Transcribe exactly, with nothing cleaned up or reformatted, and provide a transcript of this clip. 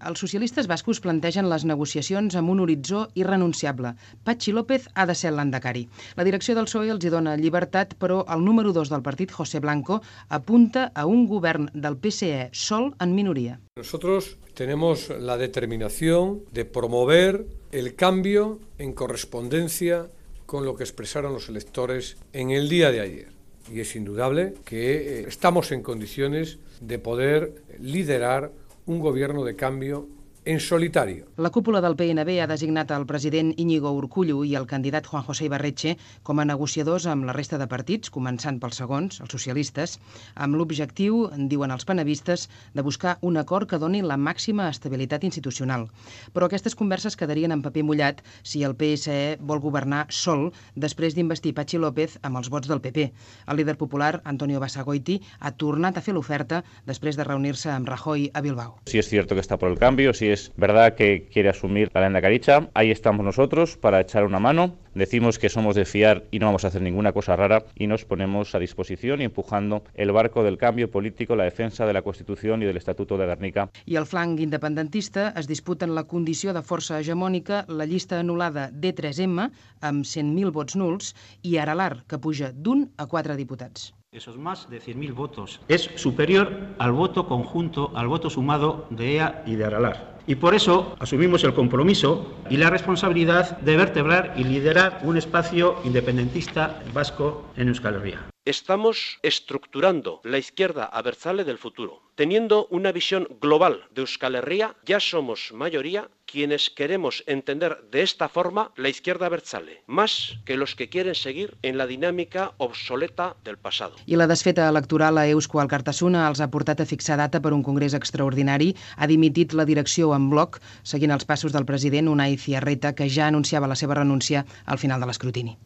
Els socialistes bascos plantegen les negociacions amb un horitzó irrenunciable. Patxi López ha de ser l'endecari. La direcció del P S O E els hi dona llibertat, però el número dos del partit, José Blanco, apunta a un govern del P S E sol en minoria. Nosotros tenemos la determinación de promover el cambio en correspondencia con lo que expresaron los electores en el día de ayer. Y es indudable que estamos en condiciones de poder liderar un gobierno de cambio en solitario. La cúpula del P N B ha designat el president Íñigo Urkullu i el candidat Juan José Ibarretxe com a negociadors amb la resta de partits, començant pels segons, els socialistes, amb l'objectiu, diuen els penevistes, de buscar un acord que doni la màxima estabilitat institucional. Però aquestes converses quedarien en paper mullat si el P S E vol governar sol després d'investir Patxi López amb els vots del P P. El líder popular, Antonio Basagoiti, ha tornat a fer l'oferta després de reunir-se amb Rajoy a Bilbao. Si es cierto que está por el cambio, si es verdad que quiere asumir la lehendakaritza, ahí estamos nosotros para echar una mano. Decimos que somos de fiar y no vamos a hacer ninguna cosa rara y nos ponemos a disposición y empujando el barco del cambio político, la defensa de la Constitución y del Estatuto de Gernika. I al flanc independentista es disputen la condició de força hegemònica, la llista anul·lada D tres M amb cent mil vots nuls i Aralar, que puja d'un a quatre diputats. Esos más de cien mil votos es superior al voto conjunto, al voto sumado de E A y de Aralar. Y por eso asumimos el compromiso y la responsabilidad de vertebrar y liderar un espacio independentista vasco en Euskal Herria. Estamos estructurando la izquierda abertzale del futuro. Teniendo una visión global de Euskal Herria, ya somos mayoría quienes queremos entender de esta forma la izquierda abertzale, más que los que quieren seguir en la dinámica obsoleta del pasado. I la desfeta electoral a Eusko Alkartasuna els ha portat a fixar data per un congrés extraordinari. Ha dimitit la direcció en bloc, seguint els passos del president Unai Ziarreta, que ja anunciava la seva renúncia al final de l'escrutini.